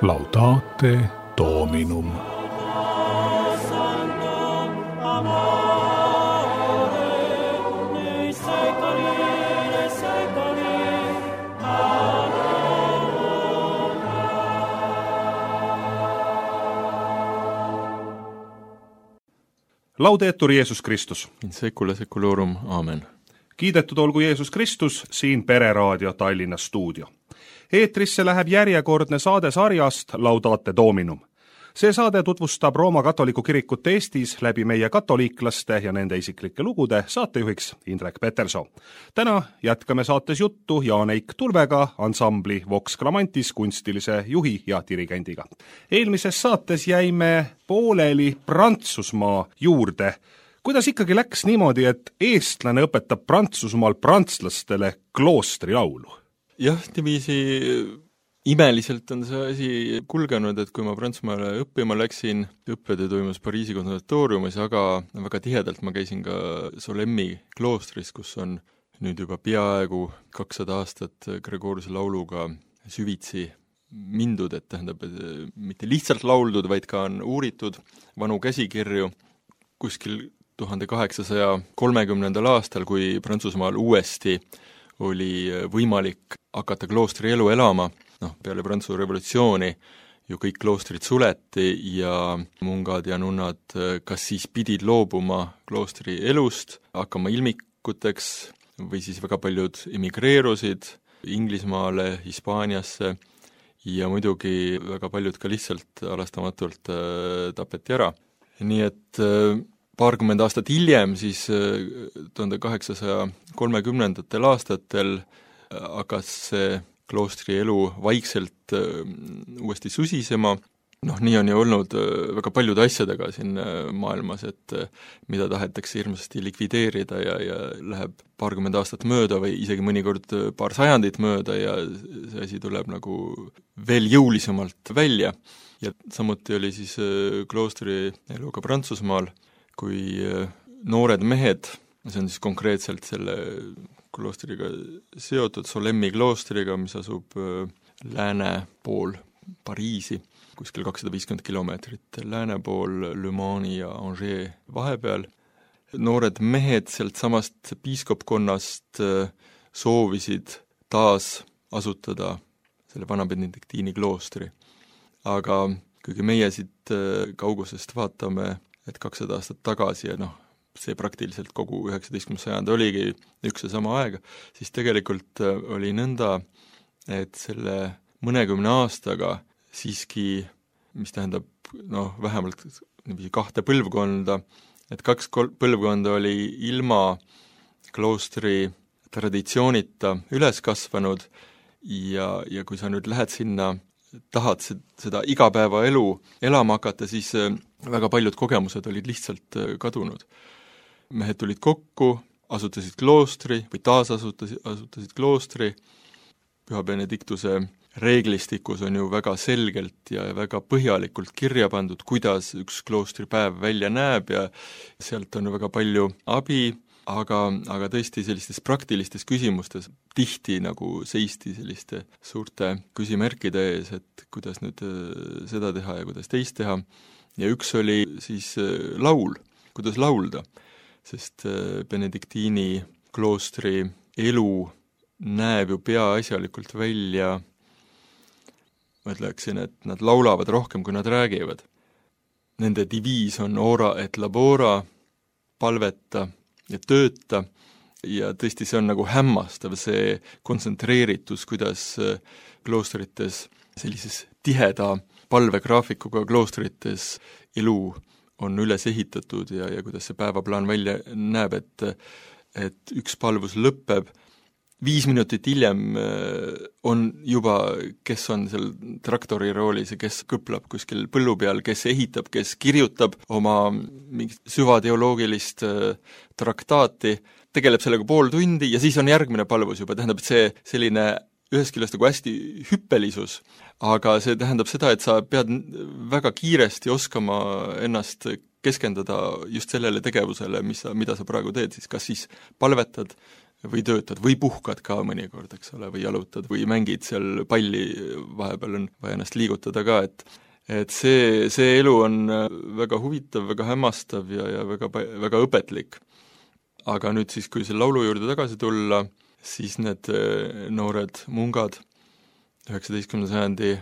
Laudate Dominum. Laudetur Jeesus Kristus. In secula seculorum. Amen. Kiidetud olgu Jeesus Kristus, siin Pereraadio Tallinna stuudio. Eetrisse läheb järjekordne saade sarjast Laudate Dominum. See saade tutvustab Rooma katoliku kirikut Eestis läbi meie katoliiklaste ja nende isiklike lugude, saatejuhiks Indrek Peterson. Täna jätkame saates juttu Jaan-Eik Tulvega, ansambli Vox Clamantis kunstilise juhi ja dirigendiga. Eelmises saates jäime pooleli Prantsusmaa juurde. Kuidas ikkagi läks niimoodi, et eestlane õpetab Prantsusmaal prantslastele kloostri laulu? Jah, niiviisi imeliselt on see asi kulgenud, et kui ma Prantsusmaale õppima läksin, õppetöö toimus Pariisi konservatooriumis, aga väga tihedalt ma käisin ka Solemmi kloostris, kus on nüüd juba peaaegu 200 aastat Gregoriuse lauluga süvitsi mindud, et tähendab, et mitte lihtsalt lauldud, vaid ka on uuritud vanu käsikirju. Kuskil 1830. aastal, kui Prantsusmaal uuesti oli võimalik hakata kloostri elu elama, peale Prantsuse revolutsiooni ju kõik kloostrid suleti ja mungad ja nunnad kas siis pidid loobuma kloostri elust, hakkama ilmikuteks või siis väga paljud emigreerusid Inglismaale, Hispaaniasse ja muidugi väga paljud ka lihtsalt halastamatult tapeti ära. Nii et paarkümmend aastat hiljem, siis 1830. aastatel hakkas see kloostri elu vaikselt uuesti susisema. Nii on ju olnud väga paljude asjadega siin maailmas, et mida tahetakse hirmsasti likvideerida ja läheb paarkümmend aastat mööda või isegi mõnikord paar sajandit mööda ja see asi tuleb nagu veel jõulisemalt välja. Ja samuti oli siis kloostri elu ka Prantsusmaal, kui noored mehed, see on siis konkreetselt selle kloostriga seotud, Solemmi kloostriga, mis asub lääne pool Pariisi, kuskil 250 kilomeetrit lääne pool Le Mani ja Angers vahepeal. Noored mehed sealt samast piiskopkonnast soovisid taas asutada selle vana benediktiini kloostri. Aga kuigi meie siit kaugusest vaatame, et 200 aastat tagasi ja see praktiliselt kogu 19. sajand oligi üks ja sama aega, siis tegelikult oli nõnda, et selle mõnekümne aastaga siiski, mis tähendab vähemalt 2 põlvkonda, et 2 põlvkonda oli ilma kloostri traditsioonita üles kasvanud ja kui sa nüüd lähed sinna, tahad seda igapäevaelu elama hakata, siis väga paljud kogemused olid lihtsalt kadunud. Mehed tulid kokku, asutasid kloostri või taasasutasid kloostri. Püha Benediktuse reeglistikus on ju väga selgelt ja väga põhjalikult kirja pandud, kuidas üks kloostripäev välja näeb ja sealt on väga palju abi, aga tõesti sellistes praktilistes küsimustes tihti nagu seisti selliste suurte küsimärkide ees, et kuidas nüüd seda teha ja kuidas teist teha. Ja üks oli siis laul, kuidas laulda, sest benediktiini kloostri elu näeb ju peaasjalikult välja, ma ütleksin, et nad laulavad rohkem, kui nad räägivad. Nende diviis on ora et labora, palveta ja tööta, ja tõesti see on nagu hämmastav, see kontsentreeritus, kuidas kloostrites sellises tiheda palvegraafikuga kloostrites elu on üles ehitatud ja kuidas see päevaplaan välja näeb, et üks palvus lõpeb, 5 minutit hiljem on juba, kes on seal traktori roolis ja kes kõplab kuskil põllu peal, kes ehitab, kes kirjutab oma mingit süvateoloogilist traktaati, tegeleb sellega pool tundi ja siis on järgmine palvus juba, tähendab, et see selline ühest küljest nagu hästi hüppelisus, aga see tähendab seda, et sa pead väga kiiresti oskama ennast keskenduda just sellele tegevusele, mida sa praegu teed, siis kas siis palvetad või töötad või puhkad ka mõnikord, eks ole, või jalutad või mängid seal palli, vahepeal on vaja ennast liigutada ka, et see elu on väga huvitav, väga hämmastav ja väga õpetlik. Aga nüüd siis, kui selle laulu juurde tagasi tulla, siis need noored mungad 19. sajandi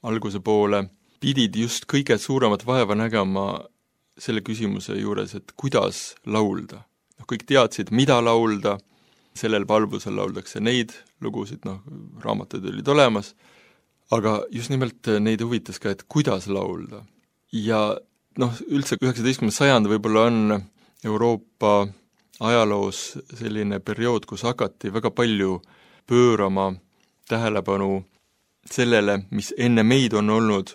alguse poole pidid just kõige suuremat vaeva nägema selle küsimuse juures, et kuidas laulda. Kõik teadsid, mida laulda, sellel palvusel lauldakse neid lugusid, raamatud olid olemas, aga just nimelt neid huvitas ka, et kuidas laulda. Ja üldse 19. sajand võib-olla on Euroopa ajaloos selline periood, kus hakati väga palju pöörama tähelepanu sellele, mis enne meid on olnud,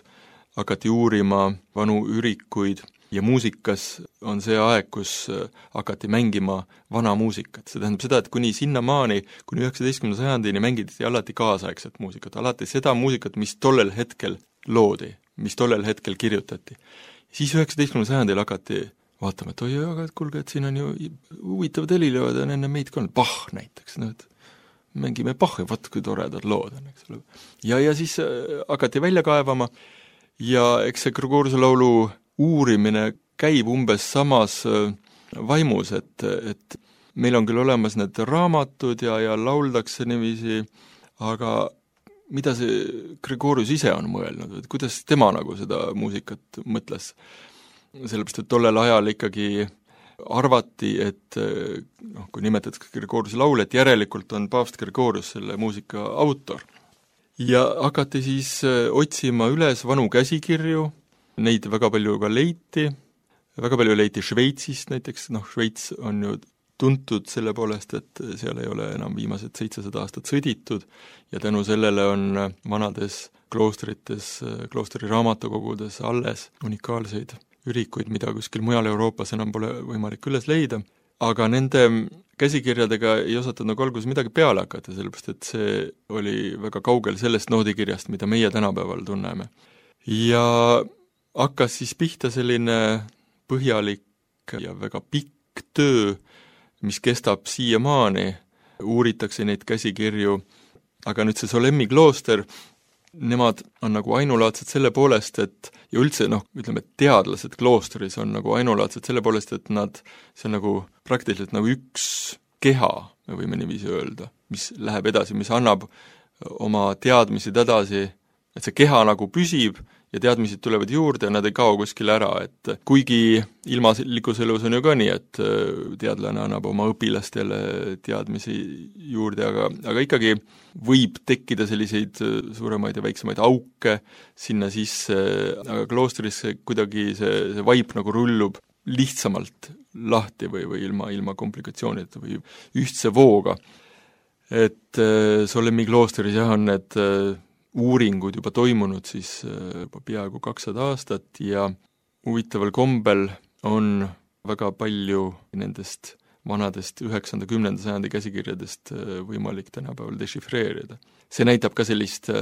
hakati uurima vanu ürikuid ja muusikas on see aeg, kus hakati mängima vana muusikat. See tähendab seda, et kuni sinnamaani, kuni 19. sajandini mängiti alati kaasaegset muusikat, alati seda muusikat, mis tollel hetkel loodi, mis tollel hetkel kirjutati. Siis 19. sajandil hakati vaatama, et oi, aga kuulge, et siin on ju huvitavad helilevad, on enne meid ka olnud Bach näiteks, mängime Bachi, vaat kui toredad lood on, eks ole. Ja siis hakati välja kaevama ja eks see Gregoriuse laulu uurimine käib umbes samas vaimus, et meil on küll olemas need raamatud ja lauldakse niiviisi, aga mida see Gregorius ise on mõelnud, et kuidas tema seda muusikat mõtles? Sellepärast, et tollel ajal ikkagi arvati, et kui nimetatakse Gregoriuse laul, et järelikult on paavst Gregorius selle muusika autor. Ja hakati siis otsima üles vanu käsikirju, neid väga palju ka leiti, väga palju leiti Šveitsist näiteks, Šveits on ju tuntud selle poolest, et seal ei ole enam viimased 700 aastat sõditud ja tänu sellele on vanades kloostrites, kloostri raamatukogudes alles unikaalseid ürikuid, mida kuskil mujal Euroopas enam pole võimalik üles leida, aga nende käsikirjadega ei osatud alguses midagi peale hakata, sellepärast et see oli väga kaugel sellest noodikirjast, mida meie tänapäeval tunneme. Ja hakkas siis pihta selline põhjalik ja väga pikk töö, mis kestab siiamaani, uuritakse neid käsikirju, aga nüüd see Solemmi klooster, nemad on ainulaadsed selle poolest, et ja üldse, ütleme, teadlased kloostris on ainulaadsed selle poolest, et see on praktiliselt üks keha, me võime niiviisi öelda, mis läheb edasi, mis annab oma teadmised edasi, et see keha püsib ja teadmised tulevad juurde ja nad ei kao kuskile ära, et kuigi ilmalikus elus on ju ka nii, et teadlane annab oma õpilastele teadmisi juurde, aga ikkagi võib tekkida selliseid suuremaid ja väiksemaid auke sinna sisse, aga kloostris kuidagi see vaip rullub lihtsamalt lahti või ilma komplikatsioonideta või ühtse vooga. Et Solemmi kloostris on need uuringud juba toimunud siis juba peaaegu 200 aastat ja huvitaval kombel on väga palju nendest vanadest 9. 10. sajandi käsikirjadest võimalik tänapäeval dešifreerida. See näitab ka sellist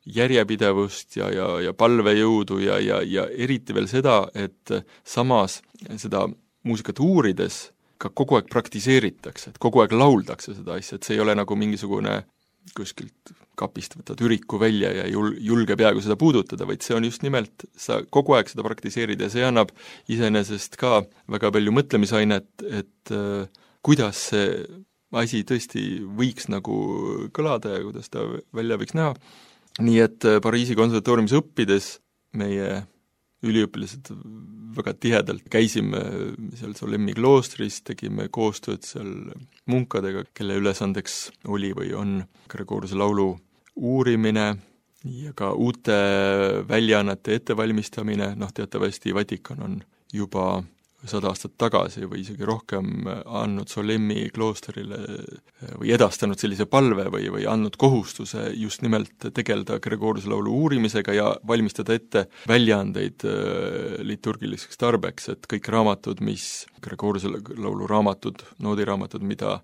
järjepidevust ja palvejõudu ja eriti veel seda, et samas seda muusikat uurides ka kogu aeg praktiseeritakse, et kogu aeg lauldakse seda asja, et see ei ole mingisugune kuskilt kapist võtad üriku välja ja julge peaaegu seda puudutada, vaid see on just nimelt, sa kogu aeg seda praktiseerid ja see annab iseenesest ka väga palju mõtlemisainet, et kuidas see asi tõesti võiks kõlada ja kuidas ta välja võiks näha. Nii et Pariisi konservatooriumis õppides meie üliõpilased väga tihedalt käisime seal Solemmi kloostris, tegime koostööd seal munkadega, kelle ülesandeks oli või on Gregoriuse laulu uurimine ja ka uute väljaannete ettevalmistamine, teatavasti Vatikan on juba 100 aastat tagasi või isegi rohkem andnud Solemmi kloosterile või edastanud sellise palve või andnud kohustuse just nimelt tegeleda Gregoriuse laulu uurimisega ja valmistada ette väljaandeid liturgiliseks tarbeks, et kõik raamatud, mis Gregoriuse laulu raamatud, noodiraamatud, mida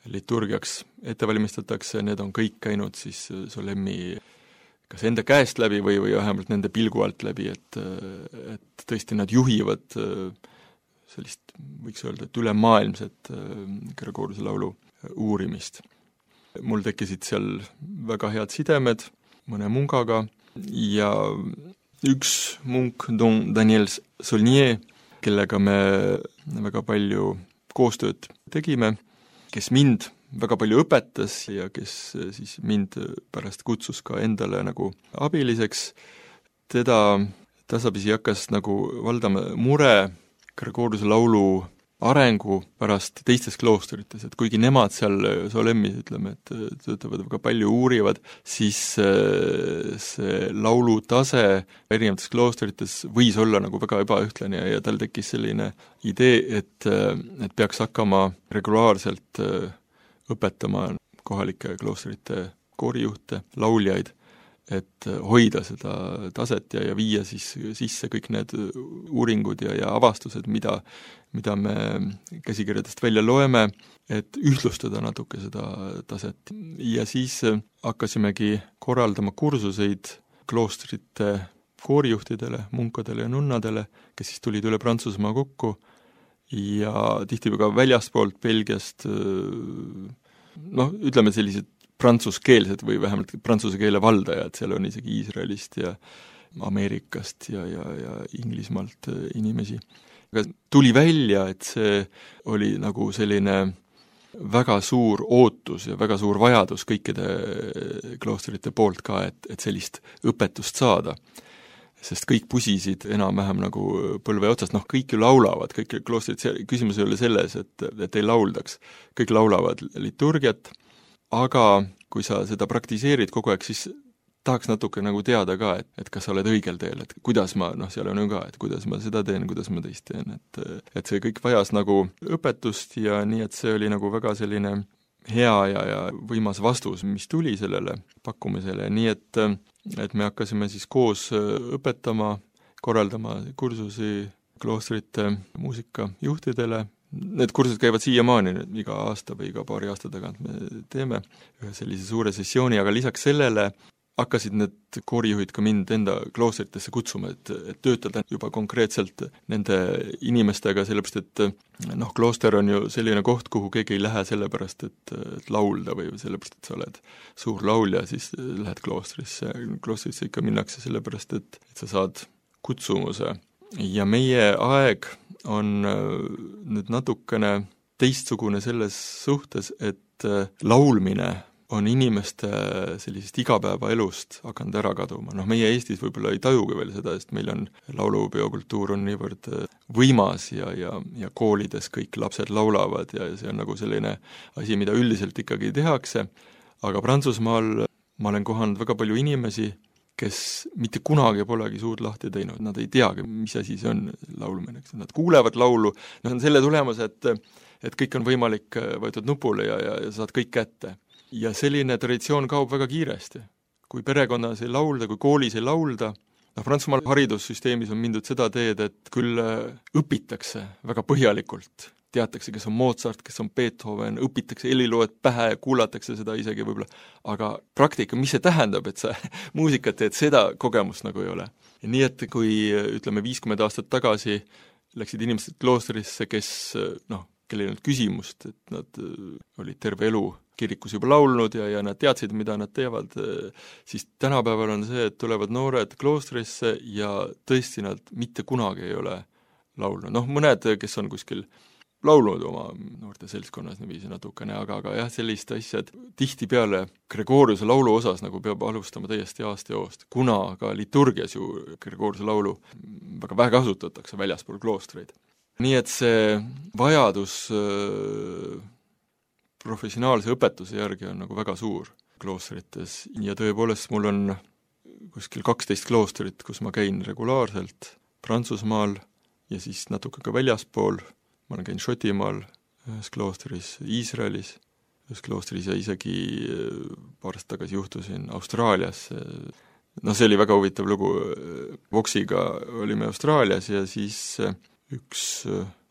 liturgiaks ette valmistatakse, need on kõik käinud siis Solemmi kas enda käest läbi või vähemalt nende pilgu alt läbi, et tõesti nad juhivad sellist, võiks öelda, et ülemaailmset Gregoriuse laulu uurimist. Mul tekkisid seal väga head sidemed mõne mungaga ja üks munk, Don Daniel Saulnier, kellega me väga palju koostööd tegime, kes mind väga palju õpetas ja kes siis mind pärast kutsus ka endale nagu abiliseks, teda tasapisi hakkas nagu valdama mure Gregoriuse laulu arengu pärast teistes kloosterites, et kuigi nemad seal Solemmis, ütleme, et töötavad väga palju, uurivad, siis see laulu tase erinevates kloosterites võis olla nagu väga ebaühtlane ja tal tekkis selline idee, et peaks hakkama regulaarselt õpetama kohalike kloostrite koorijuhte, lauljaid, et hoida seda taset ja viia siis sisse kõik need uuringud ja avastused, mida me käsikirjadest välja loeme, et ühtlustada natuke seda taset. Ja siis hakkasimegi korraldama kursuseid kloostrite koorijuhtidele, munkadele ja nunnadele, kes siis tulid üle Prantsusmaa kokku ja tihti ka väljaspoolt Belgiast, ütleme sellised prantsuskeelsed või vähemalt prantsuse keele valdajad, seal on isegi Iisraelist ja Ameerikast ja Inglismaalt inimesi. Aga tuli välja, et see oli nagu selline väga suur ootus ja väga suur vajadus kõikide kloostrite poolt ka, et sellist õpetust saada. Sest kõik pusisid enam-vähem nagu põlve otsast, kõik ju laulavad, kõik kloostrid, küsimus ei ole selles, et ei lauldaks. Kõik laulavad liturgiat, aga kui sa seda praktiseerid kogu aeg, siis tahaks natuke nagu teada ka, et kas sa oled õigel teel, et kuidas ma, seal on ju ka, et kuidas ma seda teen, kuidas ma teist teen, et see kõik vajas nagu õpetust ja nii, et see oli nagu väga selline hea ja võimas vastus, mis tuli sellele pakkumisele, nii et me hakkasime siis koos õpetama, korraldama kursusi kloostrite muusikajuhtidele. Need kursused käivad siiamaani, iga aasta või iga paari aasta tagant me teeme ühe sellise suure sessiooni, aga lisaks sellele hakkasid need koorijuhid ka mind enda kloostritesse kutsuma, et töötada juba konkreetselt nende inimestega, sellepärast et klooster on ju selline koht, kuhu keegi ei lähe sellepärast, et laulda või sellepärast, et sa oled suur laulja, siis lähed kloostrisse. Kloostrisse ikka minnakse sellepärast, et sa saad kutsumuse. Ja meie aeg on nüüd natukene teistsugune selles suhtes, et laulmine on inimeste sellisest igapäevaelust hakanud ära kaduma. Meie Eestis võib-olla ei tajugi veel seda, sest meil on laulupeokultuur on niivõrd võimas ja koolides kõik lapsed laulavad ja see on nagu selline asi, mida üldiselt ikkagi tehakse, aga Prantsusmaal ma olen kohanud väga palju inimesi, kes mitte kunagi polegi suud lahti teinud, nad ei teagi, mis asi see on laulmine, nad kuulevad laulu, on selle tulemus, et kõik on võimalik võetud nupule ja saad kõik kätte. Ja selline traditsioon kaob väga kiiresti. Kui perekonnas ei laulda, kui koolis ei laulda, Prantsusmaal haridussüsteemis on mindud seda teed, et küll õpitakse väga põhjalikult, teatakse, kes on Mozart, kes on Beethoven, õpitakse heliloed pähe, kuulatakse seda isegi võib-olla, aga praktika, mis see tähendab, et sa muusikat teed, seda kogemust nagu ei ole. Ja nii, et kui, ütleme, 50 aastat tagasi läksid inimesed kloostrisse, kes, kellel ei olnud küsimust, et nad olid terve elu kirikus juba laulnud ja nad teadsid, mida nad teevad, siis tänapäeval on see, et tulevad noored kloostrisse ja tõesti nad mitte kunagi ei ole laulnud. Mõned, kes on kuskil laulnud oma noorte seltskonnas niiviisi natukene, aga jah, sellist asja, et tihtipeale Gregoriuse laulu osas nagu peab alustama täiesti aasta joost, kuna ka liturgias ju Gregoriuse laulu väga vähe kasutatakse väljaspool kloostreid. Nii et see vajadus professionaalse õpetuse järgi on nagu väga suur kloostrites ja tõepoolest mul on kuskil 12 kloostrit, kus ma käin regulaarselt Prantsusmaal ja siis natuke ka väljaspool. Ma olen käinud Šotimaal, ühes kloostris, Iisraelis, ühes kloostris ja isegi paar aastat tagasi juhtusin Austraalias. See oli väga huvitav lugu. Voxiga olime Austraalias ja siis üks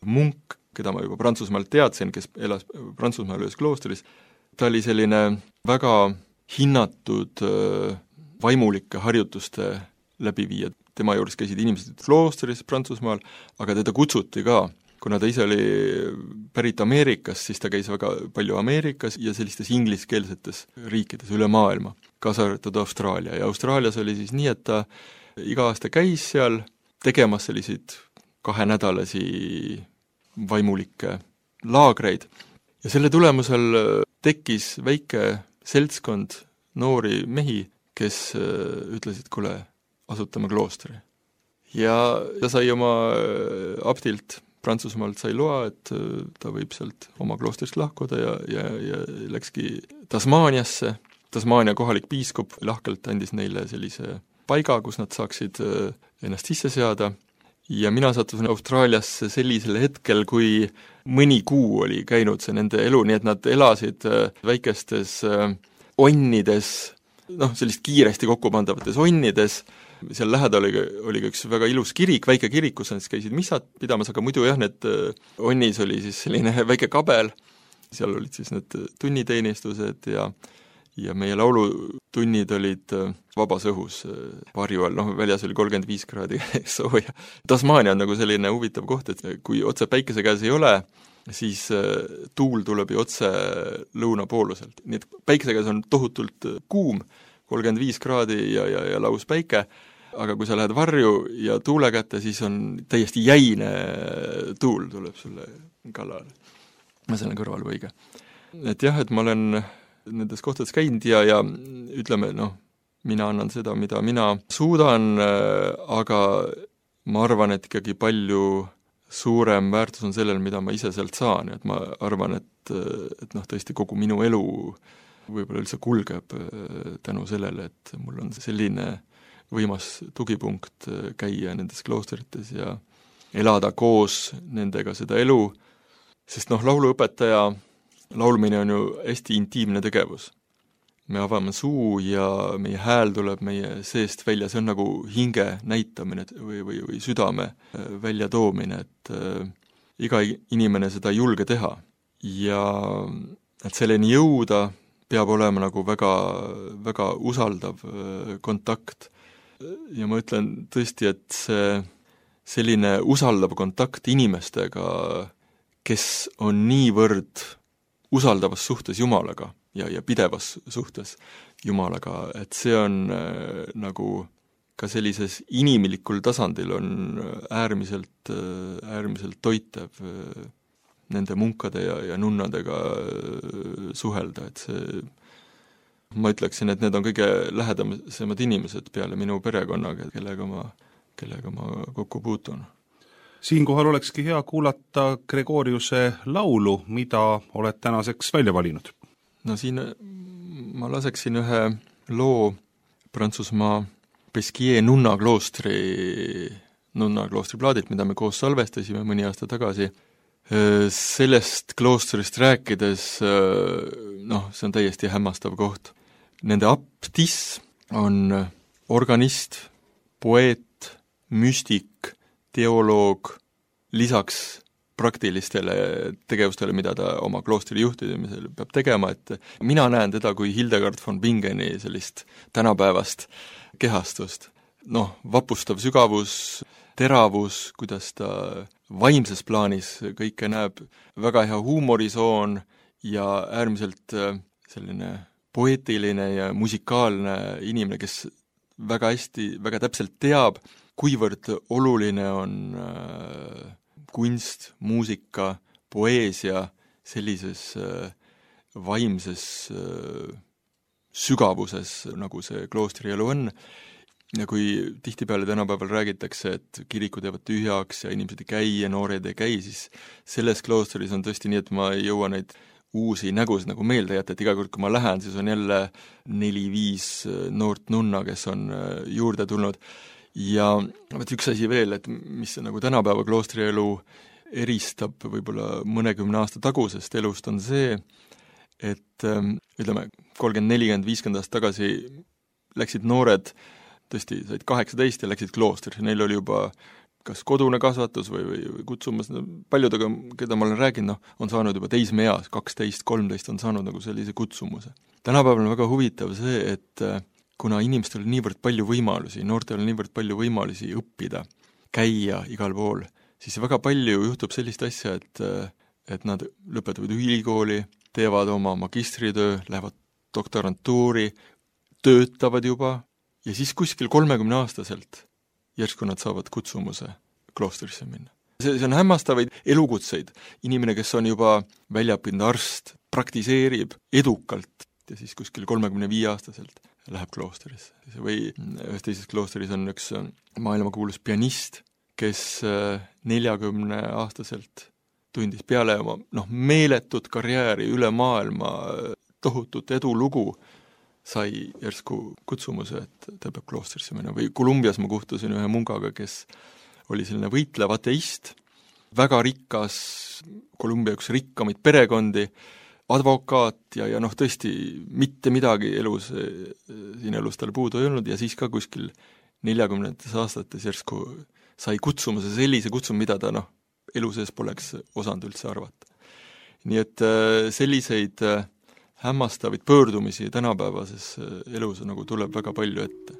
munk, keda ma juba Prantsusmaalt teadsin, kes elas Prantsusmaal ühes kloostris, ta oli selline väga hinnatud vaimulike harjutuste läbiviija. Tema juures käisid inimesed kloostris Prantsusmaal, aga teda kutsuti ka kuna ta ise oli pärit Ameerikast, siis ta käis väga palju Ameerikas ja sellistes ingliskeelsetes riikides üle maailma, kaasa arvatud Austraalia. Ja Austraalias oli siis nii, et ta iga aasta käis seal tegemas selliseid 2-nädalasi vaimulikke laagreid. Ja selle tulemusel tekkis väike seltskond noori mehi, kes ütlesid, kuule, asutame kloostri. Ja ta sai oma abdilt Prantsusmaalt sai loa, et ta võib sealt oma kloostrist lahkuda ja läkski Tasmaaniasse. Tasmaania kohalik piiskop lahkelt andis neile sellise paiga, kus nad saaksid ennast sisse seada. Ja mina sattusin Austraaliasse sellisel hetkel, kui mõni kuu oli käinud see nende elu, nii et nad elasid väikestes onnides, sellist kiiresti kokkupandavates onnides. Seal lähedal oli üks väga ilus kirik, väike kirik, kus nad käisid missad pidamas, aga muidu jah, need onnis oli siis selline väike kabel, seal olid siis need tunniteenistused ja meie laulutunnid olid vabas õhus varju all, väljas oli 35 kraadi sooja. Tasmaania on nagu selline huvitav koht, et kui otse päikese käes ei ole, siis tuul tuleb ju otse lõunapooluselt. Nii et päikese käes on tohutult kuum, 35 kraadi ja laus päike, aga kui sa lähed varju ja tuule kätte, siis on täiesti jäine tuul tuleb sulle kallale. Ma selle kõrval võige. Et jah, et ma olen nendes kohtades käinud ja ütleme, mina annan seda, mida mina suudan, aga ma arvan, et ikkagi palju suurem väärtus on sellel, mida ma ise sealt saan, et ma arvan, et tõesti kogu minu elu võib-olla üldse kulgeb tänu sellele, et mul on selline võimas tugipunkt käia nendes kloosterites ja elada koos nendega seda elu, sest lauluõpetaja laulmine on ju hästi intiimne tegevus. Me avame suu ja meie hääl tuleb meie seest välja, see on nagu hinge näitamine või südame välja toomine, et iga inimene seda ei julge teha. Ja et selleni jõuda peab olema nagu väga, väga usaldav kontakt. Ja ma ütlen tõesti, et selline usaldav kontakt inimestega, kes on niivõrd usaldavas suhtes Jumalaga ja pidevas suhtes Jumalaga, et see on nagu ka sellises inimlikul tasandil on äärmiselt toitev nende munkade ja nunnadega suhelda, et see ma ütleksin, et need on kõige lähedasemad inimesed peale minu perekonnaga, kellega ma kokku puutun. Siinkohal olekski hea kuulata Gregoriuse laulu, mida oled tänaseks välja valinud. Siin ma laseksin ühe loo Prantsusmaa Pesquier nunnakloostri plaadilt, mida me koos salvestasime mõni aasta tagasi. Sellest kloostrist rääkides, see on täiesti hämmastav koht. Nende abtiss on organist, poeet, müstik, teoloog, lisaks praktilistele tegevustele, mida ta oma kloostri juhtimisel peab tegema, et mina näen teda kui Hildegard von Bingeni sellist tänapäevast kehastust. Vapustav sügavus, teravus, kuidas ta vaimses plaanis kõike näeb, väga hea huumorisoon ja äärmiselt selline poeetiline ja musikaalne inimene, kes väga hästi, väga täpselt teab, kuivõrd oluline on kunst, muusika, poeesia sellises vaimses sügavuses, nagu see kloostrielu on. Ja kui tihtipeale tänapäeval räägitakse, et kirikud jäävad tühjaks ja inimesed ei käi ja noored ei käi, siis selles kloostris on tõesti nii, et ma ei jõua neid uusi nägusid nagu meelde jätta, et iga kord, kui ma lähen, siis on jälle 4-5 noort nunna, kes on juurde tulnud. Ja üks asi veel, et mis nagu tänapäeva kloostrielu eristab võib-olla mõnekümne aasta tagusest elust, on see, et ütleme, 30, 40, 50 aastat tagasi läksid noored, tõesti said 18 ja läksid kloostrisse, neil oli juba kas kodune kasvatus või kutsumas, paljudega, keda ma olen rääkinud, on saanud juba teismeeas, 12, 13 on saanud nagu sellise kutsumuse. Tänapäeval on väga huvitav see, et kuna inimestel on niivõrd palju võimalusi, noortel on niivõrd palju võimalusi õppida, käia igal pool, siis väga palju juhtub sellist asja, et nad lõpetavad ülikooli, teevad oma magistritöö, lähevad doktorantuuri, töötavad juba ja siis kuskil 30-aastaselt järsku nad saavad kutsumuse kloostrisse minna. See on hämmastavaid elukutseid. Inimene, kes on juba väljaõppinud arst, praktiseerib edukalt ja siis kuskil 35-aastaselt läheb kloostrisse. Või ühes teises kloostris on üks maailmakuulus pianist, kes 40-aastaselt tundis peale oma meeletut karjääri üle maailma, tohutut edulugu, sai järsku kutsumuse, et ta peab kloostrisse minna. Või Kolumbias ma kohtusin ühe mungaga, kes oli selline võitlev ateist, väga rikas, Kolumbia üks rikkamaid perekondi, advokaat ja tõesti mitte midagi siin elus tal puudu ei olnud ja siis ka kuskil 40 aastates järsku sai kutsumuse, sellise kutsumuse, mida ta elu sees poleks osanud üldse arvata. Nii et selliseid hämmastavaid pöördumisi tänapäevases elus nagu tuleb väga palju ette.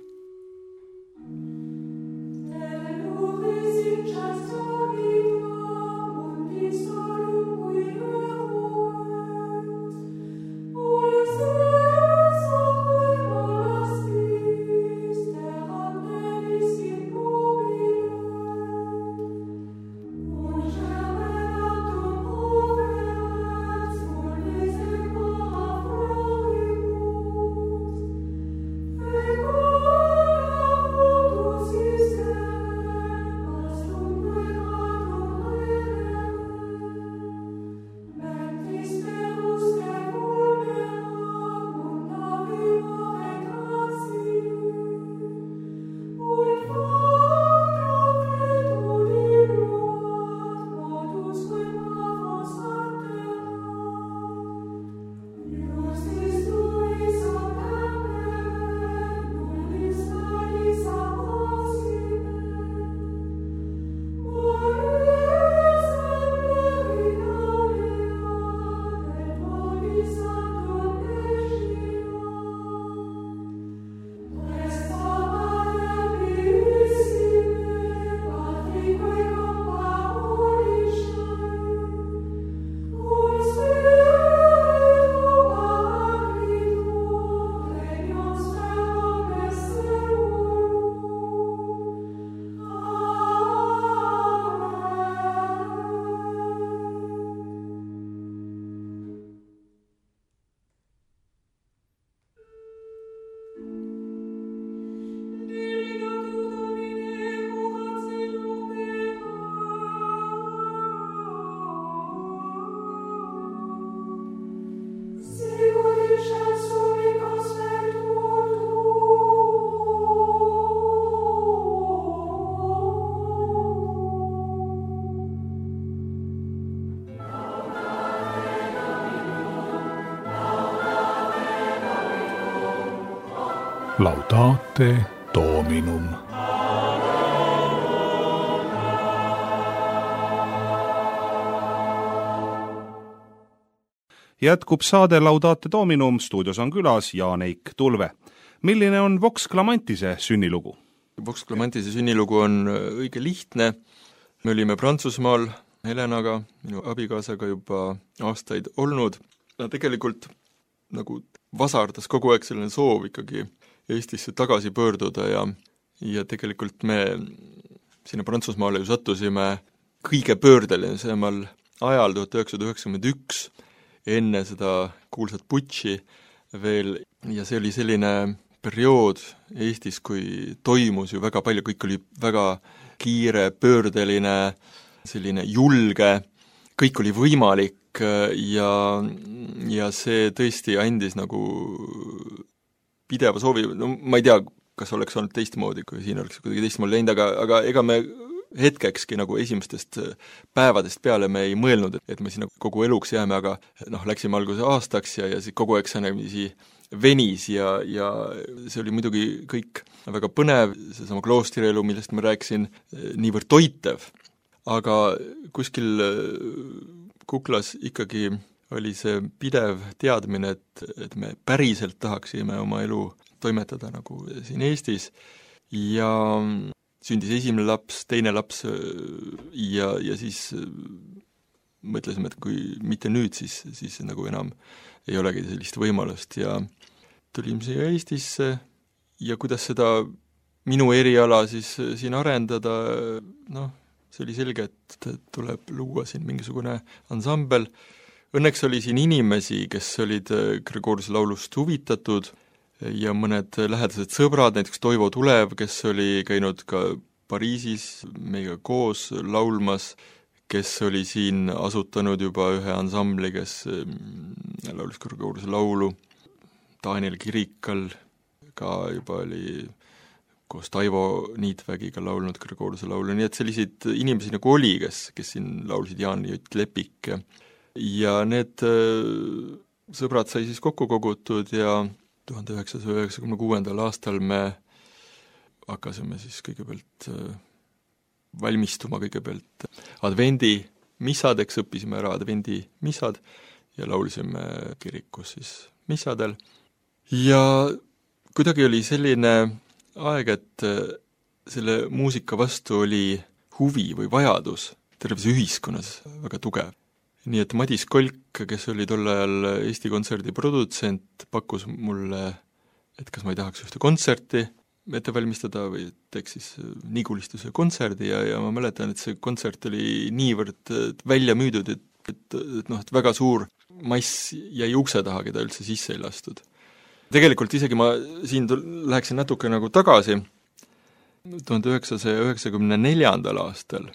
Laudate Dominum. Jätkub saade Laudate Dominum, stuudios on külas Jaan-Eik Tulve. Milline on Vox Clamantise sünnilugu? Vox Clamantise sünnilugu on õige lihtne. Me olime Prantsusmaal Helenaga, minu abikaasaga juba aastaid olnud. Tegelikult nagu vasardas kogu aeg selline soov ikkagi Eestisse tagasi pöörduda ja tegelikult me sinna Prantsusmaale ju sattusime kõige pöördelisemal ajal 1991, enne seda kuulsat putši veel, ja see oli selline periood Eestis, kui toimus ju väga palju, kõik oli väga kiire, pöördeline, selline julge, kõik oli võimalik ja see tõesti andis nagu pideva soovi, ma ei tea, kas oleks olnud teistmoodi, kui siin oleks kuidagi teistmoodi läinud, aga ega me hetkekski nagu esimestest päevadest peale me ei mõelnud, et me sinna kogu eluks jääme, aga läksime alguse aastaks ja siis kogu aeg see venis ja see oli muidugi kõik väga põnev, seesama kloostrielu, millest ma rääkisin, niivõrd toitev, aga kuskil kuklas ikkagi oli see pidev teadmine, et me päriselt tahaksime oma elu toimetada nagu siin Eestis ja sündis esimene laps, teine laps ja siis mõtlesime, et kui mitte nüüd, siis nagu enam ei olegi sellist võimalust ja tulime siia Eestisse ja kuidas seda minu eriala siis siin arendada, noh, see oli selge, et tuleb luua siin mingisugune ansambel. Õnneks oli siin inimesi, kes olid Gregoriuse laulust huvitatud ja mõned lähedased sõbrad, näiteks Toivo Tulev, kes oli käinud ka Pariisis meiega koos laulmas, kes oli siin asutanud juba ühe ansambli, kes laulis Gregoriuse laulu, Daniel Kirikal ka juba oli koos Taivo Niitvägiga laulnud Gregoriuse laulu, nii et selliseid inimesi nagu oli, kes siin laulsid, Jaan Jott Lepik ja need sõbrad sai siis kokku kogutud ja 1996. aastal me hakkasime siis kõigepealt valmistuma kõigepealt advendi missadeks, õppisime ära advendi missad ja laulisime kirikus siis missadel. Ja kuidagi oli selline aeg, et selle muusika vastu oli huvi või vajadus terves ühiskonnas väga tugev. Nii et Madis Kolk, kes oli tol ajal Eesti Kontserdi produtsent, pakkus mulle, et kas ma ei tahaks ühte kontserti ette valmistada või teeks siis Nigulistuse kontserdi ja ma mäletan, et see kontsert oli niivõrd välja müüdud, et väga suur mass jäi ukse taha, keda üldse sisse ei lastud. Tegelikult isegi ma siin läheksin natuke nagu tagasi, 1994. aastal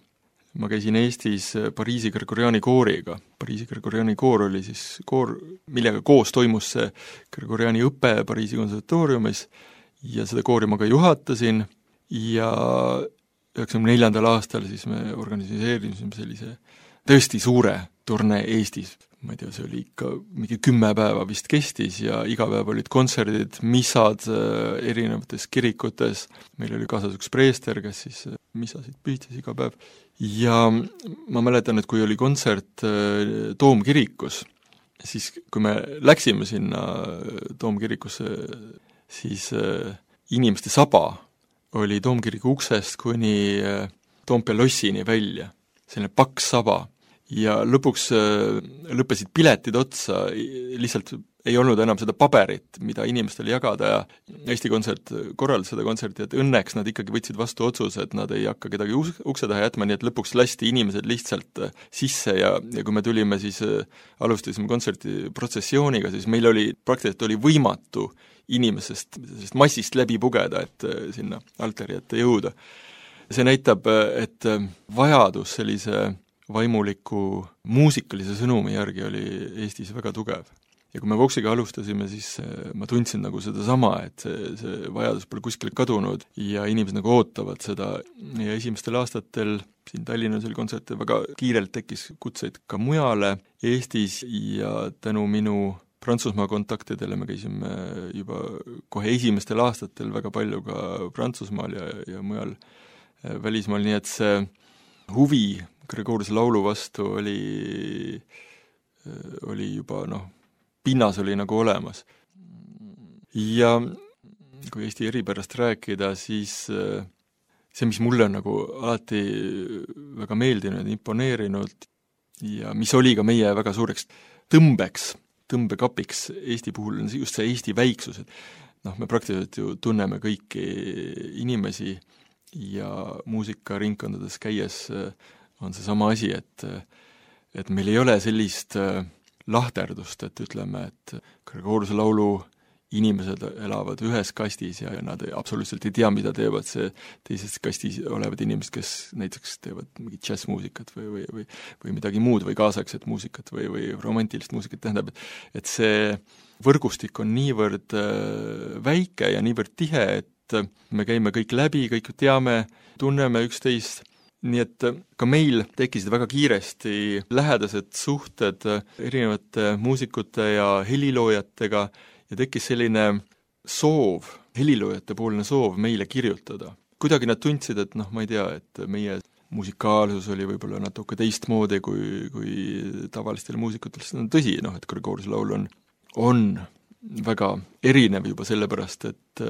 ma käisin Eestis Pariisi Gregoriani kooriga. Pariisi Gregoriani koor oli siis koor, millega koos toimus see Gregoriani õpe Pariisi konservatooriumis ja seda koori ma ka juhatasin ja 1994. aastal siis me organiseerisime sellise tõesti suure turnee Eestis. Ma ei tea, see oli ikka mingi 10 päeva vist kestis ja iga päev olid kontserdid, missad erinevates kirikutes. Meil oli kaasas üks preester, kes siis missasid pühtis iga päev. Ja ma mäletan, et kui oli kontsert Toomkirikus, siis kui me läksime sinna Toomkirikusse, siis inimeste saba oli Toomkiriku uksest kuni Toompea lossini välja, selline paks saba. Ja lõpuks lõppesid piletid otsa, lihtsalt ei olnud enam seda paberit, mida inimestele jagada ja Eesti Kontsert korraldas seda kontserti, et õnneks nad ikkagi võtsid vastu otsuse, et nad ei hakka kedagi ukse taha jätma, nii et lõpuks lasti inimesed lihtsalt sisse ja kui me tulime, siis alustasime kontserti protsessiooniga, siis meil oli praktiliselt oli võimatu inimesest massist läbi pugeda, et sinna altari ette jõuda. See näitab, et vajadus sellise vaimuliku muusikalise sõnumi järgi oli Eestis väga tugev. Ja kui me Voxiga alustasime, siis ma tundsin nagu seda sama, et see vajadus pole kuskil kadunud ja inimesed nagu ootavad seda ja esimestel aastatel siin Tallinnas oli kontserte, väga kiirelt tekkis kutseid ka mujale Eestis ja tänu minu Prantsusmaa kontaktidele me käisime juba kohe esimestel aastatel väga palju ka Prantsusmaal ja mujal välismaal, nii et see huvi Gregoriuse laulu vastu oli juba pinnas oli nagu olemas. Ja kui Eesti eripärast rääkida, siis see, mis mulle on nagu alati väga meeldinud, imponeerinud ja mis oli ka meie väga suureks tõmbekapiks Eesti puhul, on just see Eesti väiksus, et me praktiliselt ju tunneme kõiki inimesi ja muusikaringkondades käies on see sama asi, et meil ei ole sellist lahterdust, et ütleme, et Gregoriuse laulu inimesed elavad ühes kastis ja nad absoluutselt ei tea, mida teevad see teises kastis olevad inimesed, kes näiteks teevad mingit džässmuusikat või midagi muud või kaasaegset muusikat või romantilist muusikat, tähendab, et see võrgustik on niivõrd väike ja niivõrd tihe, et me käime kõik läbi, kõik teame, tunneme üksteist, nii et ka meil tekkisid väga kiiresti lähedased suhted erinevate muusikute ja heliloojatega ja tekkis selline soov, heliloojate poolne soov meile kirjutada. Kuidagi nad tundsid, et ma ei tea, et meie musikaalsus oli võib-olla natuke teistmoodi kui tavalistel muusikutel, sest on tõsi, et Gregoriuse laul on väga erinev juba sellepärast, et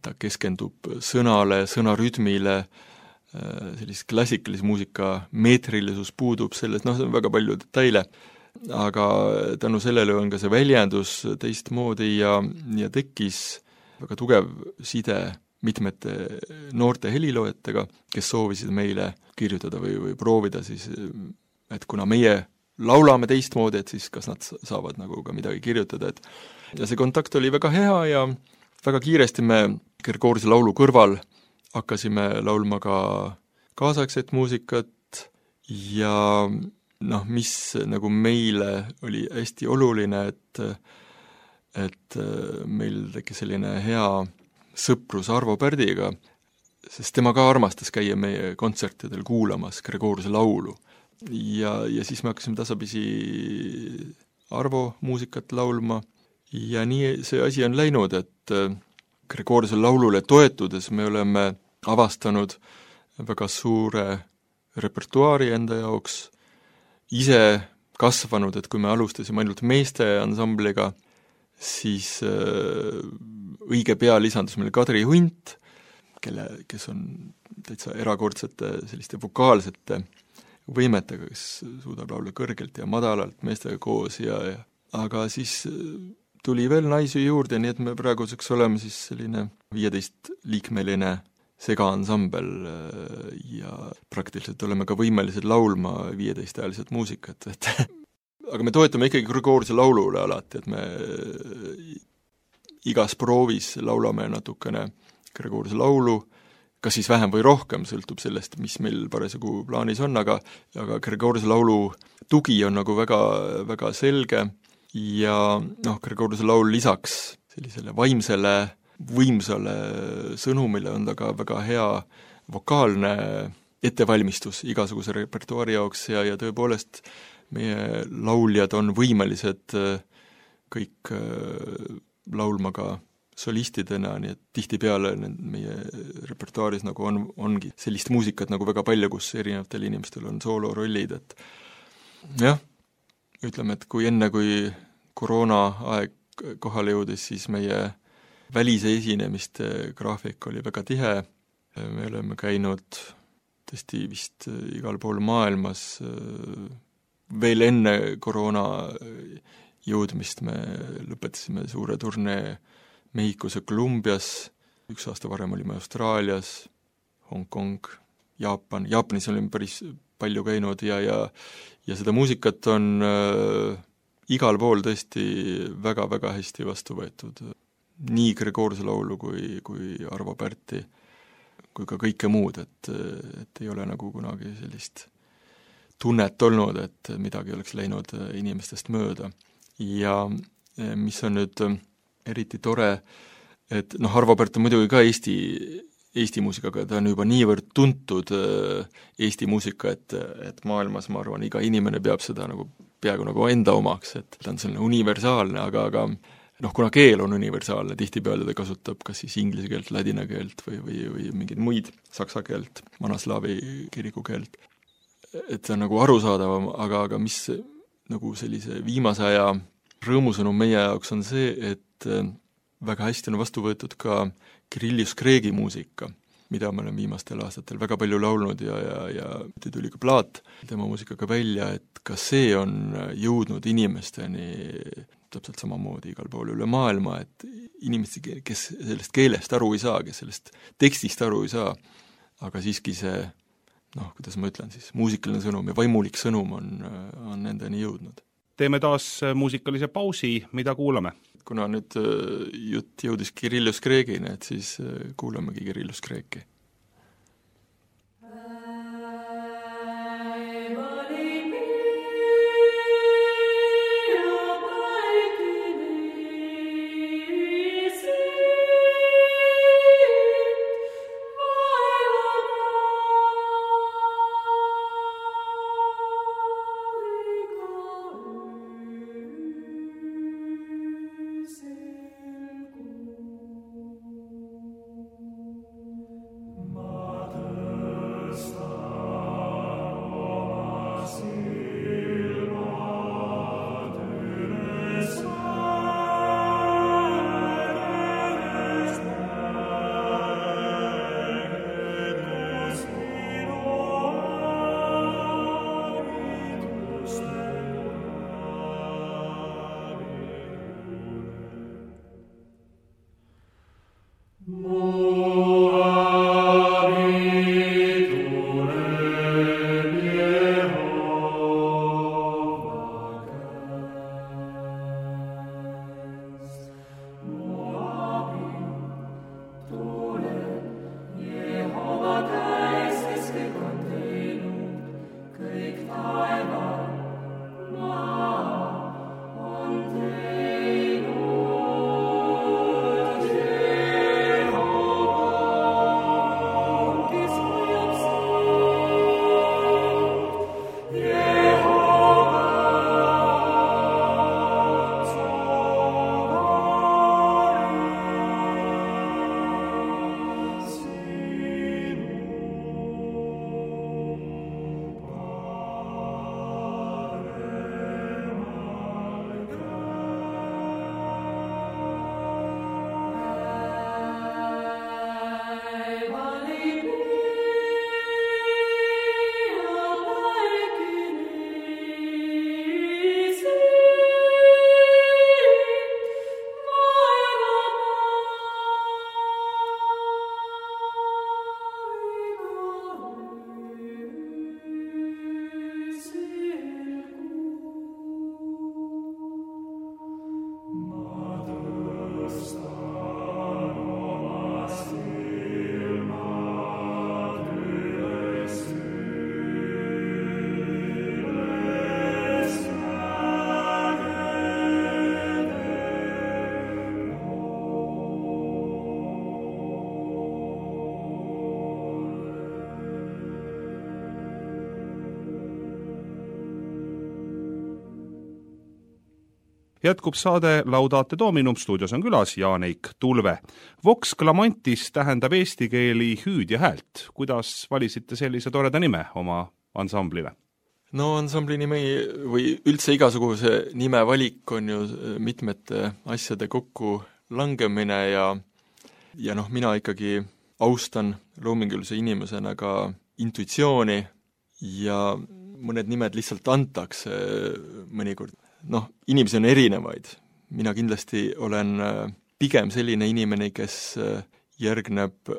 ta keskendub sõnale, sõnarütmile, sellist klassikalise muusika meetrilisus puudub selles, see on väga palju detaile, aga tänu sellele on ka see väljendus teistmoodi ja tekkis väga tugev side mitmete noorte heliloojatega, kes soovisid meile kirjutada või proovida siis, et kuna meie laulame teistmoodi, et siis kas nad saavad nagu ka midagi kirjutada, ja see kontakt oli väga hea ja väga kiiresti me Gregoruse laulu kõrval hakkasime laulma ka kaasaegset muusikat ja mis nagu meile oli hästi oluline, et meil tekkis selline hea sõprus Arvo Pärdiga, sest tema ka armastas käia meie kontsertidel kuulamas Gregoruse laulu. Ja siis me hakkasime tasapisi Arvo muusikat laulma ja nii see asi on läinud, et Gregoruse laulule toetudes me oleme avastanud väga suure repertuaari enda jaoks, ise kasvanud, et kui me alustasime ainult meeste ansambliga, siis õige pea lisandus meil Kadri Hunt, kes on täitsa erakordsete selliste vokaalsete võimetega, kes suudab laulda kõrgelt ja madalalt meestega koos aga siis tuli veel naisi juurde, nii et me praeguseks oleme siis selline 15-liikmeline segaansambel ja praktiliselt oleme ka võimelised laulma 15-hääliselt muusikat, aga me toetame ikkagi Gregoruse laulule alati, et me igas proovis laulame natukene Gregoruse laulu, kas siis vähem või rohkem, sõltub sellest, mis meil parasjagu plaanis on, aga Gregoruse laulu tugi on nagu väga, väga selge ja Gregoruse laul lisaks sellisele vaimsele, võimsale sõnumile on ta ka väga hea vokaalne ettevalmistus igasuguse repertuaari jaoks ja tõepoolest meie lauljad on võimelised kõik laulma ka solistidena, nii et tihtipeale meie repertuaaris nagu ongi sellist muusikat nagu väga palju, kus erinevatel inimestel on soolorollid, et jah, ütleme, et kui koroona aeg kohale jõudis, siis meie välise esinemiste graafik oli väga tihe, me oleme käinud tõesti vist igal pool maailmas, veel enne koroona jõudmist me lõpetasime suure turnee Mehhikos ja Kolumbias, 1 aasta varem olime Austraalias, Hongkong, Jaapanis olime päris palju käinud ja seda muusikat on igal pool tõesti väga-väga hästi vastu võetud. Nii Gregoruse laulu kui Arvo Pärti, kui ka kõike muud, et ei ole nagu kunagi sellist tunnet olnud, et midagi oleks läinud inimestest mööda. Ja mis on nüüd eriti tore, et Arvo Pärt on muidugi ka Eesti muusikaga, ta on juba niivõrd tuntud Eesti muusika, et maailmas, ma arvan, iga inimene peab seda nagu peaaegu nagu enda omaks, et ta on selline universaalne, aga kuna keel on universaalne, tihtipeale ta kasutab kas siis inglise keelt, ladina keelt või mingeid muid saksa keelt, vanaslaavi kiriku keelt, et see on nagu arusaadavam, aga mis nagu sellise viimase aja rõõmusõnum meie jaoks on see, et väga hästi on vastu võetud ka Kirillus Kreegi muusika, mida me oleme viimastel aastatel väga palju laulnud ja tuli ka plaat tema muusikaga välja, et ka see on jõudnud inimesteni täpselt samamoodi igal pool üle maailma, et inimesed, kes sellest keelest aru ei saa, kes sellest tekstist aru ei saa, aga siiski see, kuidas ma ütlen siis, muusikaline sõnum ja vaimulik sõnum on nendeni jõudnud. Teeme taas muusikalise pausi, mida kuulame? Kuna nüüd jutt jõudis Kirillus Kreegini, et siis kuulamegi Kirillus Kreeki. Jätkub saade Laudate Dominum, stuudios on külas Jaan-Eik Tulve. Vox Clamantis tähendab eesti keeli hüüd ja häält. Kuidas valisite sellise toreda nime oma ansamblile? No ansambli nimi või üldse igasuguse nime valik on ju mitmete asjade kokku langemine ja noh, mina ikkagi austan loomingulise inimesena ka intuitsiooni ja mõned nimed lihtsalt antakse mõnikord. Noh, inimesi on erinevaid. Mina kindlasti olen pigem selline inimene, kes järgneb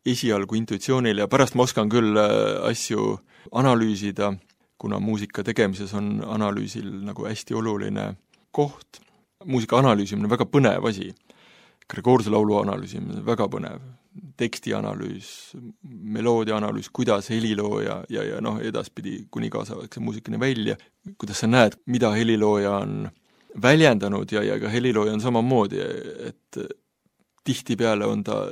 esialgu intuitsioonile ja pärast ma oskan küll asju analüüsida, kuna muusika tegemises on analüüsil nagu hästi oluline koht. Muusika analüüsimine on väga põnev asi. Gregorse laulu analüüsimine on väga põnev. Teksti analüüs, meloodia analüüs, kuidas helilooja ja noh, edaspidi kuni kaasavaks muusikani välja, kuidas sa näed, mida helilooja on väljendanud ja ka helilooja on samamoodi, et tihtipeale on ta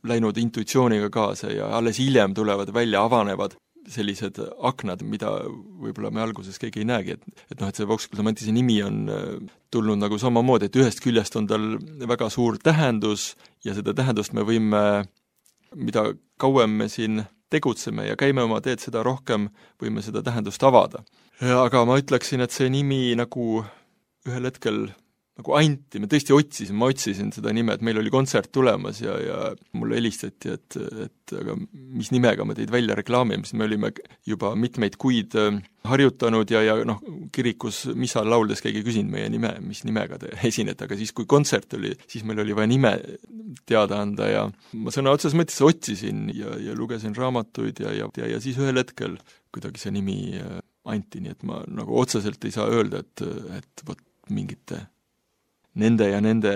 läinud intuitsiooniga kaasa ja alles hiljem tulevad välja, avanevad sellised aknad, mida võib-olla me alguses keegi ei näegi, et noh, et see Vox Clamantise nimi on tulnud nagu samamoodi, et ühest küljest on tal väga suur tähendus ja seda tähendust me võime, mida kauem me siin tegutseme ja käime oma teed, seda rohkem võime seda tähendust avada. Aga ma ütleksin, et see nimi nagu ühel hetkel nagu anti, ma tõesti otsisin seda nime, et meil oli kontsert tulemas ja mulle helistati, et aga mis nimega me teid välja reklaamime, sest me olime juba mitmeid kuid harjutanud ja noh, kirikus missal lauldes keegi küsinud meie nime, mis nimega te esinete, aga siis kui kontsert oli, siis meil oli vaja nime teada anda ja ma sõna otseses mõttes otsisin ja lugesin raamatuid ja siis ühel hetkel kuidagi see nimi anti, nii et ma nagu otseselt ei saa öelda, et vot mingite nende ja nende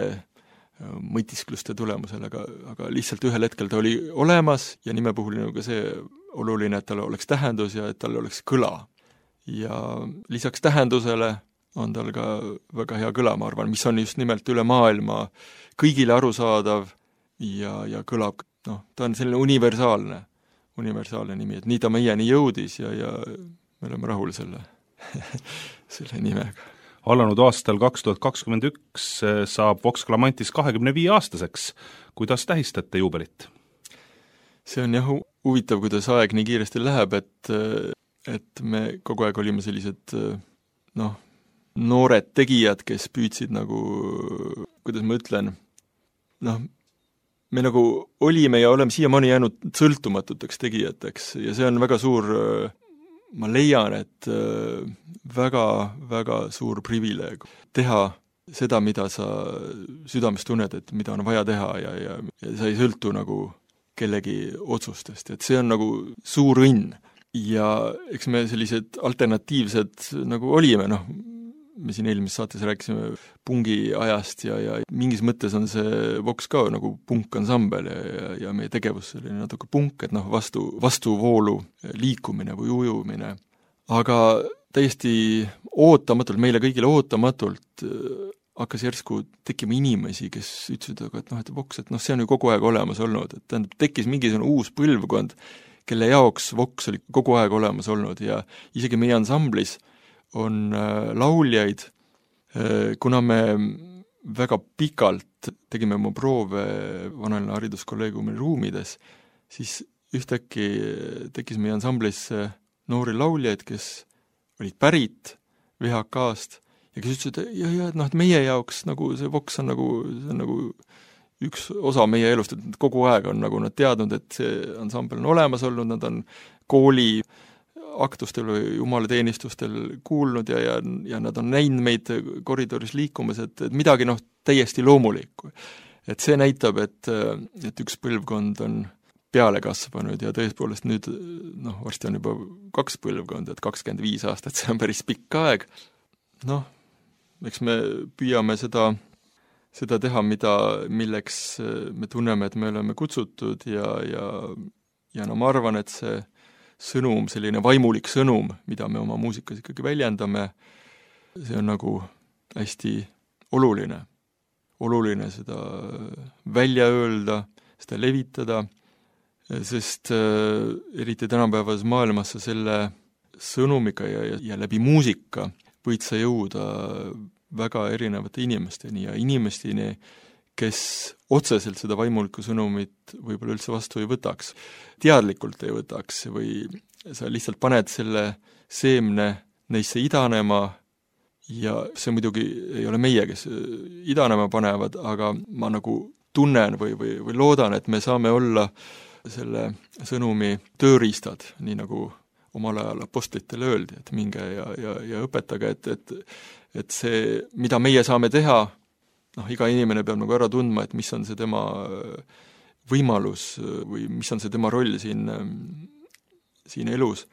mõtiskluste tulemusel, aga lihtsalt ühel hetkel ta oli olemas ja nime puhul on ka see oluline, et tal oleks tähendus ja et tal oleks kõla. Ja lisaks tähendusele on tal ka väga hea kõla, ma arvan, mis on just nimelt üle maailma kõigile arusaadav ja kõlab, noh, ta on selline universaalne nimi, et nii ta meieni jõudis ja me oleme rahul selle nimega. Alanud aastal 2021 saab Vox Clamantis 25-aastaseks. Kuidas tähistate juubelit? See on jah huvitav, kuidas aeg nii kiiresti läheb, et me kogu aeg olime sellised noored tegijad, kes püüdsid nagu, kuidas ma ütlen, me nagu olime ja oleme siiamaani jäänud sõltumatuteks tegijateks ja see on väga suur, ma leian, et väga suur privileeg teha seda, mida sa südames tunned, et mida on vaja teha ja sa ei sõltu nagu kellegi otsustest, et see on nagu suur õnn. Ja eks me sellised alternatiivsed nagu olime, me siin eelmises saates rääkisime pungi ajast ja mingis mõttes on see Vox ka nagu punkansambel ja meie tegevus oli natuke punk, et vastuvoolu liikumine või ujumine. aga täiesti ootamatult, meile kõigile ootamatult hakkas järsku tekkima inimesi, kes ütlesid, et Vox, et see on ju kogu aeg olemas olnud, et tähendab, tekkis mingisugune uus põlvkond, kelle jaoks Vox oli kogu aeg olemas olnud ja isegi meie ansamblis on lauljaid, kuna me väga pikalt tegime oma proove Vanalinna hariduskolleegiumi ruumides, siis ühtäkki tekkis meie ansamblis noori lauljaid, kes olid pärit VHK-st ja kes ütlesid, et meie jaoks nagu see Vox on nagu üks osa meie elust, et kogu aeg on nagu nad teadnud, et see ansambel on olemas olnud, nad on kooli aktustel või jumalateenistustel kuulnud ja nad on näinud meid koridoris liikumas, et midagi täiesti loomulikku. Et see näitab, et üks põlvkond on peale kasvanud ja tõepoolest nüüd, varsti on juba 2 põlvkonda, et 25 aastat, see on päris pikk aeg. Eks me püüame seda teha, milleks me tunneme, et me oleme kutsutud ja ma arvan, et see sõnum, selline vaimulik sõnum, mida me oma muusikas ikkagi väljendame, see on nagu hästi oluline. Oluline seda välja öelda, seda levitada, sest eriti tänapäevas maailmas selle sõnumiga ja läbi muusika võid sa jõuda väga erinevate inimesteni ja inimesteni, kes otseselt seda vaimulikku sõnumit võib-olla üldse vastu ei võtaks, teadlikult ei võtaks või sa lihtsalt paned selle seemne neisse idanema ja see muidugi ei ole meie, kes idanema panevad, aga ma nagu tunnen või loodan, et me saame olla selle sõnumi tööriistad, nii nagu omal ajal apostlitele öeldi, et minge ja õpetage, et see, mida meie saame teha, iga inimene peab nagu ära tundma, et mis on see tema võimalus või mis on see tema roll siin elus.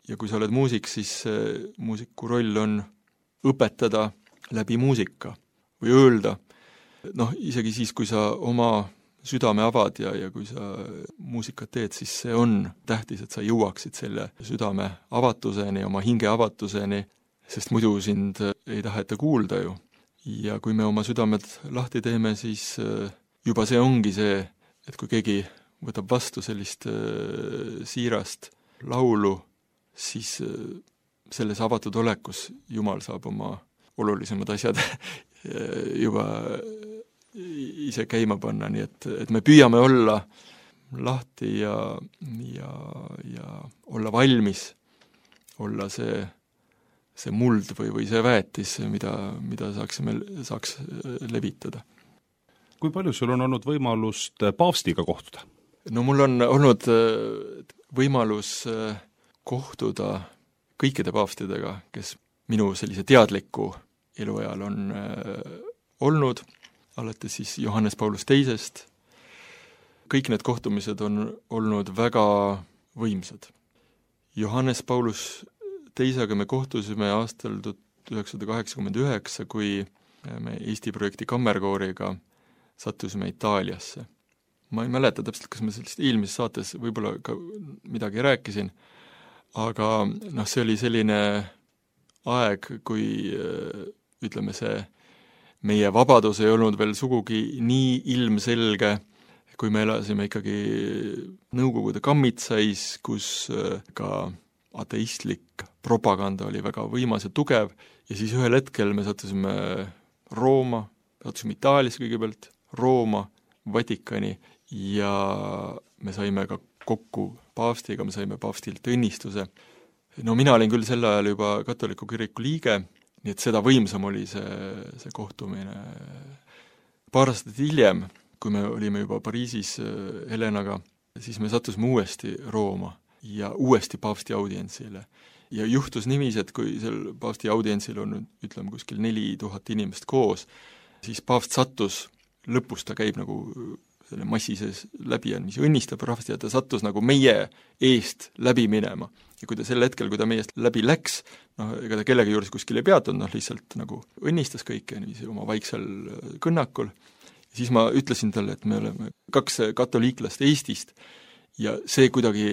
Ja kui sa oled muusik, siis muusiku roll on õpetada läbi muusika või öelda, isegi siis, kui sa oma südame avad ja kui sa muusikat teed, siis see on tähtis, et sa jõuaksid selle südame avatuseni, oma hinge avatuseni, sest muidu sind ei taheta kuulda ju. Ja kui me oma südamed lahti teeme, siis juba see ongi see, et kui keegi võtab vastu sellist siirast laulu, siis selles avatud olekus Jumal saab oma olulisemad asjad juba ise käima panna, nii et me püüame olla lahti ja olla valmis, olla see muld või see väetis, mida saaks levitada. Kui palju sul on olnud võimalust paavstiga kohtuda? Mul on olnud võimalus kohtuda kõikide paavstidega, kes minu sellise teadliku eluajal on olnud, alates siis Johannes Paulus teisest. Kõik need kohtumised on olnud väga võimsad. Johannes Paulus teisega me kohtusime aastal 1989, kui me Eesti projekti kammerkooriga sattusime Itaaliasse. Ma ei mäleta täpselt, kas ma sellest eelmises saates võib-olla ka midagi rääkisin, aga see oli selline aeg, kui ütleme see meie vabadus ei olnud veel sugugi nii ilmselge, kui me elasime ikkagi Nõukogude kammitsais, kus ka ateistlik propaganda oli väga võimas ja tugev ja siis ühel hetkel me sattusime Rooma, sattusime Itaalias kõigepealt, Rooma, Vatikani ja me saime ka kokku paavstiga, me saime paavstilt õnnistuse. Mina olin küll sel ajal juba katoliku kiriku liige, nii et seda võimsam oli see kohtumine. Paar aastat hiljem, kui me olime juba Pariisis Helenaga, siis me sattusime uuesti Rooma ja uuesti paavsti audientsile. Ja juhtus niiviisi, et kui seal paavsti audientsil on, ütleme, kuskil 4000 inimest koos, siis paavst sattus, lõpus ta käib nagu selle massi sees läbi ja mis õnnistab rahvast ja ta sattus nagu meie eest läbi minema. Ja kui ta sel hetkel, kui ta meie eest läbi läks, ega ta kellegi juures kuskil ei peatunud, lihtsalt nagu õnnistas kõike niiviisi oma vaiksel kõnnakul. Ja siis ma ütlesin talle, et me oleme 2 katoliiklast Eestist ja see kuidagi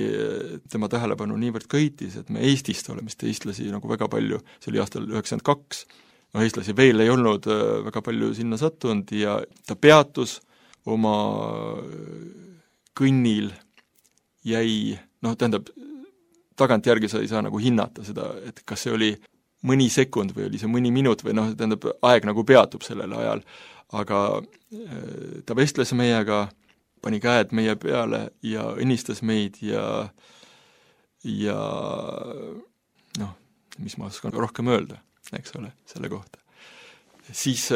tema tähelepanu niivõrd köitis, et me Eestist oleme vist eestlasi nagu väga palju, see oli aastal 92, no eestlasi veel ei olnud väga palju sinna sattunud ja ta peatus oma kõnnil, jäi, noh, tähendab, tagantjärgi sa ei saa nagu hinnata seda, et kas see oli mõni sekund või oli see mõni minut või noh, tähendab, aeg nagu peatub sellel ajal, aga ta vestles meiega, pani käed meie peale ja õnnistas meid ja noh, mis ma oskan rohkem öelda, eks ole, selle kohta. Siis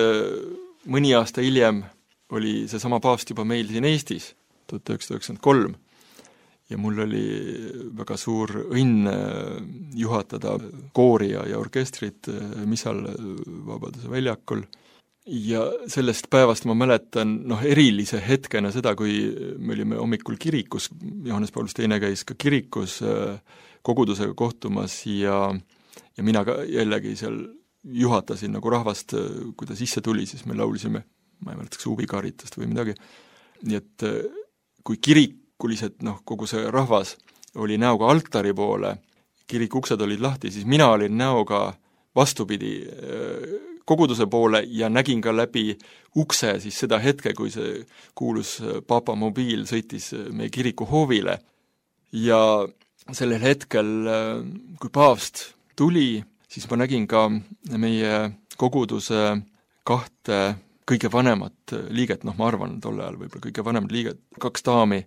mõni aasta hiljem oli seesama paavst juba meil siin Eestis, 1993, ja mul oli väga suur õnn juhatada koori ja orkestrit missal Vabaduse väljakul. Ja sellest päevast ma mäletan erilise hetkena seda, kui me olime hommikul kirikus, Johannes Paulus II käis ka kirikus kogudusega kohtumas ja mina ka jällegi seal juhatasin nagu rahvast, kui ta sisse tuli, siis me laulisime, ma ei mäleta, kas huvikaritast või midagi. Nii et kui kirikulised, kogu see rahvas oli näoga altari poole, kiriku uksed olid lahti, siis mina olin näoga vastupidi koguduse poole ja nägin ka läbi ukse siis seda hetke, kui see kuulus Papa mobiil sõitis meie kiriku hoovile. Ja sellel hetkel, kui paavst tuli, siis ma nägin ka meie koguduse kahte kõige vanemat liiget, ma arvan tolle ajal võib-olla kõige vanemad liiget, 2 daami,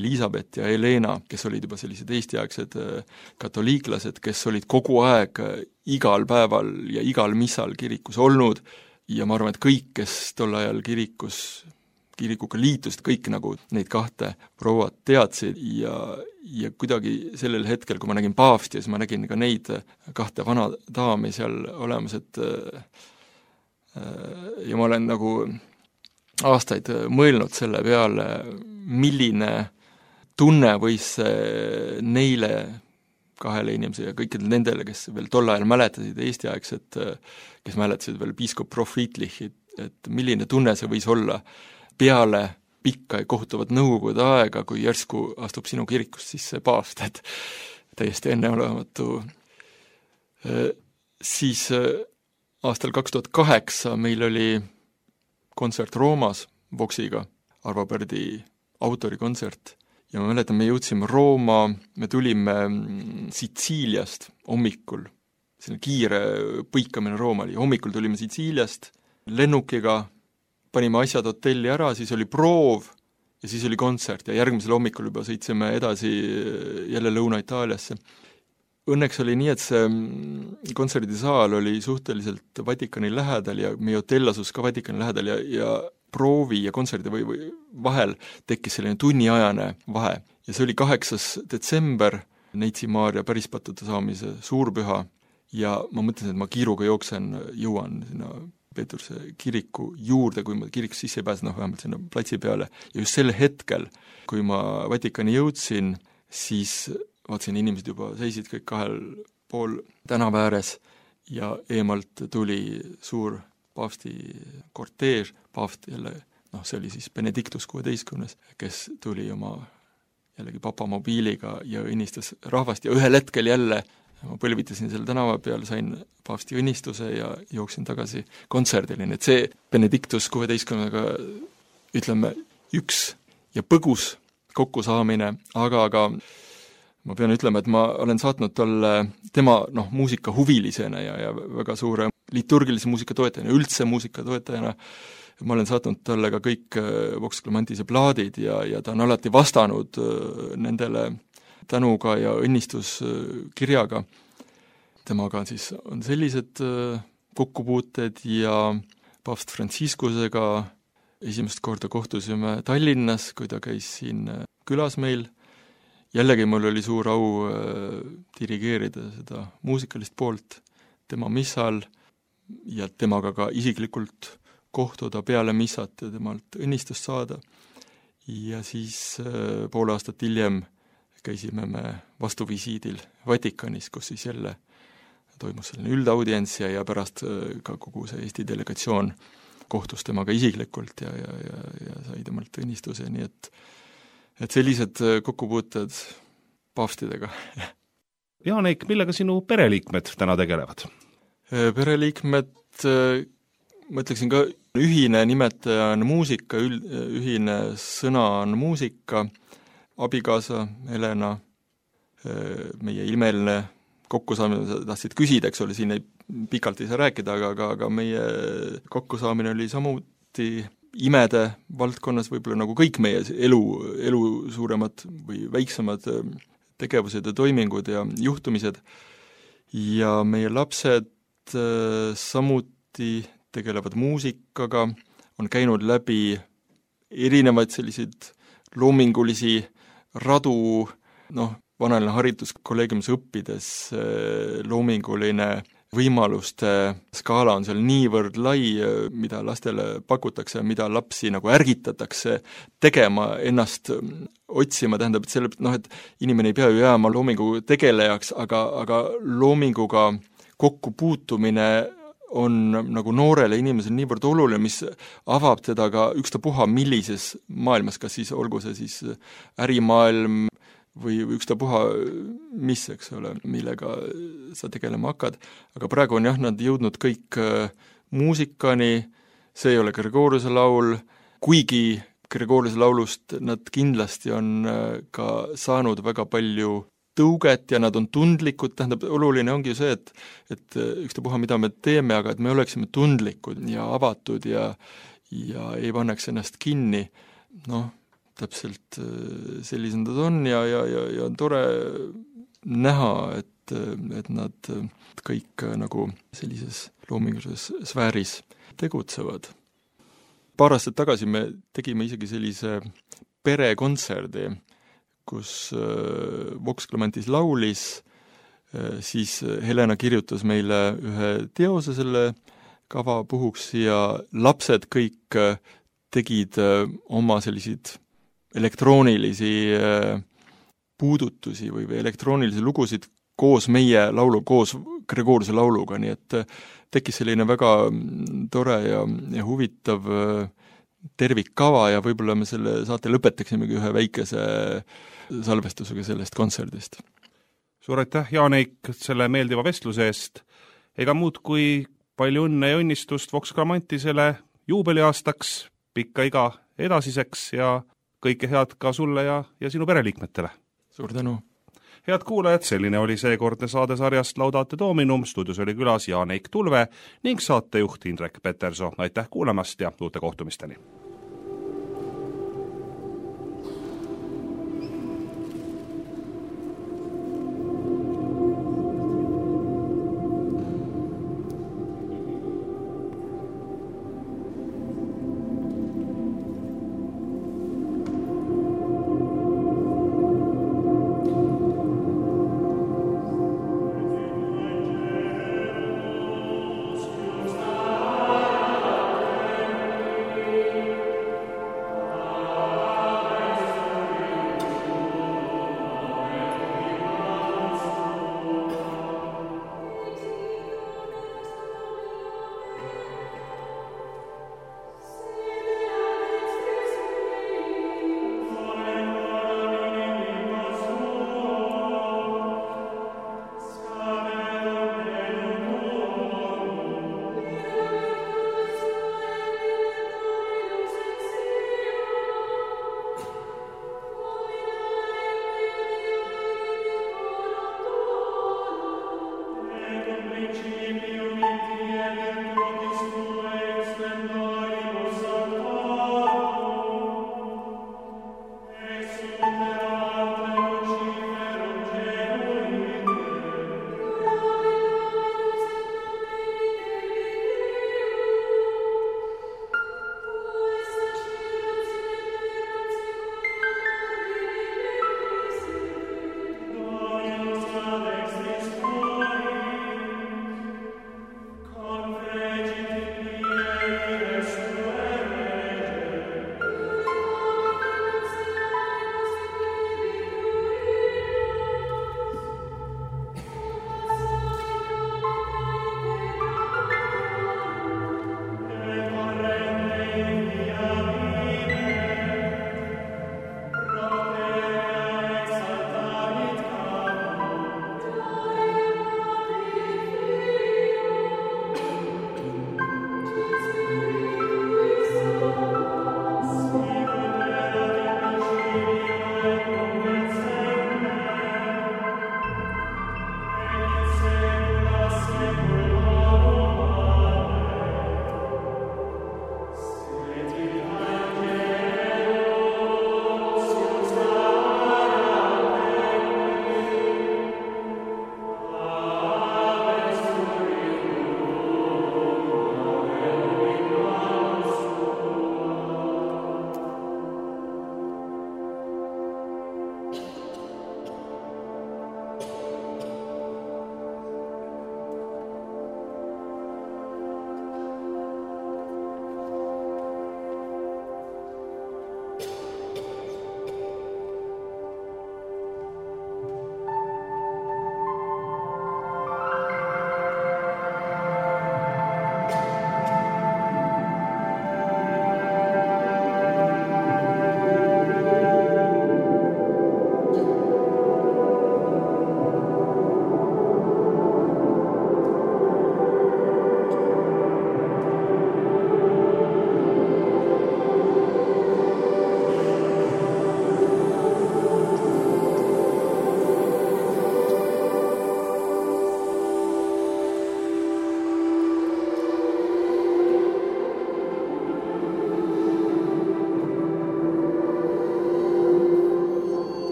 Elisabeth ja Helena, kes olid juba sellised eestiaegsed katoliiklased, kes olid kogu aeg igal päeval ja igal missal kirikus olnud ja ma arvan, et kõik, kes tol ajal kirikuga liitust, kõik nagu neid 2 prouat teadsid ja kuidagi sellel hetkel, kui ma nägin paavsti, siis ma nägin ka neid 2 vana daami seal olemas, et ja ma olen nagu aastaid mõelnud selle peale, milline tunne võis neile 2 inimesele ja kõikidele nendele, kes veel tol ajal mäletasid eestiaegset, kes mäletasid veel piiskop Prof. Friedlichit, et milline tunne see võis olla peale pikka ja kohutavat nõukogude aega, kui järsku astub sinu kirikust sisse paavst, et täiesti enneolematu. Siis aastal 2008 meil oli kontsert Roomas Voxiga, Arvo Pärdi autorikontsert ja ma mäletan, me jõudsime Rooma, me tulime Sitsiiliast hommikul, selline kiire põikamine Rooma oli, hommikul tulime Sitsiiliast lennukiga, panime asjad hotelli ära, siis oli proov ja siis oli kontsert ja järgmisel hommikul juba sõitsime edasi jälle Lõuna-Itaaliasse. Õnneks oli nii, et see kontserdisaal oli suhteliselt Vatikani lähedal ja meie hotell asus ka Vatikani lähedal ja proovi ja kontserdi või vahel tekkis selline tunniajane vahe. Ja see oli 8. detsember, Neitsi Maarja pärispattude saamise suurpüha ja ma mõtlesin, et ma kiiruga jõuan sinna Peetruse kiriku juurde, kui ma kirikus sisse ei pääse, vähemalt sinna platsi peale. Ja just sel hetkel, kui ma Vatikani jõudsin, siis vaatasin, inimesed juba seisid kõik 2 pool tänava ääres ja eemalt tuli suur paavsti korteež, paavst jälle, see oli siis Benedictus 16, kes tuli oma jällegi papa mobiiliga ja õnnistas rahvast ja ühel hetkel jälle ma põlvitasin selle tänava peal, sain paavsti õnnistuse ja jooksin tagasi kontserdile, et see Benedictus 16-ga ütleme üks ja põgus kokkusaamine, aga ma pean ütlema, et ma olen saatnud talle tema muusikahuvilisena ja väga suure liturgilise muusika toetajana, üldse muusika toetajana, ma olen saatnud talle ka kõik Vox Clemantise plaadid ja ta on alati vastanud nendele tänuga ja õnnistuskirjaga. Temaga siis on sellised kokkupuuted ja paavst Franciscusega esimest korda kohtusime Tallinnas, kui ta käis siin külas meil. Jällegi mul oli suur au dirigeerida seda muusikalist poolt tema missal ja temaga ka isiklikult kohtuda peale missat ja temalt õnnistust saada. Ja siis pool aastat hiljem käisime me vastuvisiidil Vatikanis, kus siis jälle toimus selline üldaudients ja pärast ka kogu see Eesti delegatsioon kohtus temaga isiklikult ja sai temalt õnnistuse, nii et et sellised kokkupuuted paavstidega. Jaanek, millega sinu pereliikmed täna tegelevad? Pereliikmed, ma ütleksin ka, ühine nimetaja on muusika, ühine sõna on muusika, abikaasa Helena, meie ilmeline kokkusaamine, tahtsid küsida, eks ole, siin pikalt ei saa rääkida, aga meie kokkusaamine oli samuti imede valdkonnas võib-olla nagu kõik meie elu suuremad või väiksemad tegevused ja toimingud ja juhtumised. Ja meie lapsed samuti tegelevad muusikaga, on käinud läbi erinevaid selliseid loomingulisi radu, vanaline hariduskolleegiumis õppides loominguline võimaluste skaala on seal niivõrd lai, mida lastele pakutakse, mida lapsi nagu ärgitatakse tegema, ennast otsima, tähendab, et inimene ei pea ju jääma loomingu tegelejaks, aga loominguga kokkupuutumine on nagu noorele inimesele niivõrd oluline, mis avab teda ka ükstapuha millises maailmas, kas siis olgu see siis ärimaailm või ükstapuha mis, eks ole, millega sa tegelema hakkad. Aga praegu on nad jõudnud kõik muusikani, see ei ole Gregoriuse laul, kuigi Gregoriuse laulust nad kindlasti on ka saanud väga palju tõuget ja nad on tundlikud, tähendab, oluline ongi ju see, et ükstapuha, mida me teeme, aga et me oleksime tundlikud ja avatud ja ei panneks ennast kinni, täpselt sellised nad on ja on tore näha, et nad kõik nagu sellises loomingulises sfääris tegutsevad. Paar aastat tagasi me tegime isegi sellise perekontserdi, kus Vox Clamantis laulis, siis Helena kirjutas meile ühe teose selle kava puhuks ja lapsed kõik tegid oma selliseid elektroonilisi puudutusi või elektroonilisi lugusid koos meie laulu, koos Gregoriuse lauluga, nii et tekkis selline väga tore ja huvitav tervikkava ja võib-olla me selle saate lõpetaksimegi ühe väikese salvestusega sellest kontserdist. Suur aitäh, Jaanek, selle meeldiva vestluse eest. Ega muud kui palju õnne ja õnnistust Vox Clamantisele juubeliaastaks, pikka iga edasiseks ja kõike head ka sulle ja sinu pereliikmetele. Suur tänu! Head kuulajad, selline oli seekordne saadesarjast Laudate Dominum, stuudios oli külas Jaanek Tulve ning saatejuht Indrek Peterso. Aitäh kuulamast ja uute kohtumisteni!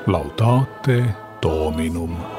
Laudate Dominum.